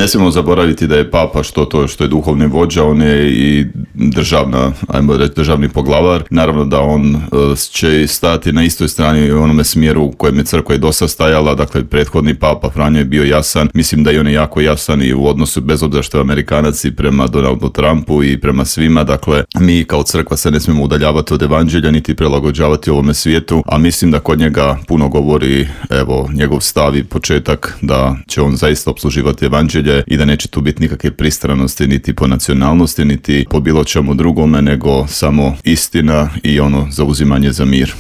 Ne smijemo zaboraviti da je papa što je duhovni vođa, on je i državni poglavar. Naravno da on će stati na istoj strani u onome smjeru u kojem je crkva i dosad stajala, dakle prethodni papa Franjo je bio jasan, mislim da i on je jako jasan i u odnosu, bez obzira što je Amerikanac, i prema Donaldu Trumpu i prema svima, dakle mi kao crkva se ne smijemo udaljavati od evanđelja niti prilagođavati ovome svijetu, a mislim da kod njega puno govori njegov stav i početak da će on zaista opsluživati evanđelje i da neće tu biti nikakve pristranosti niti po nacionalnosti niti po bilo čemu drugome, nego samo istina i zauzimanje za mir.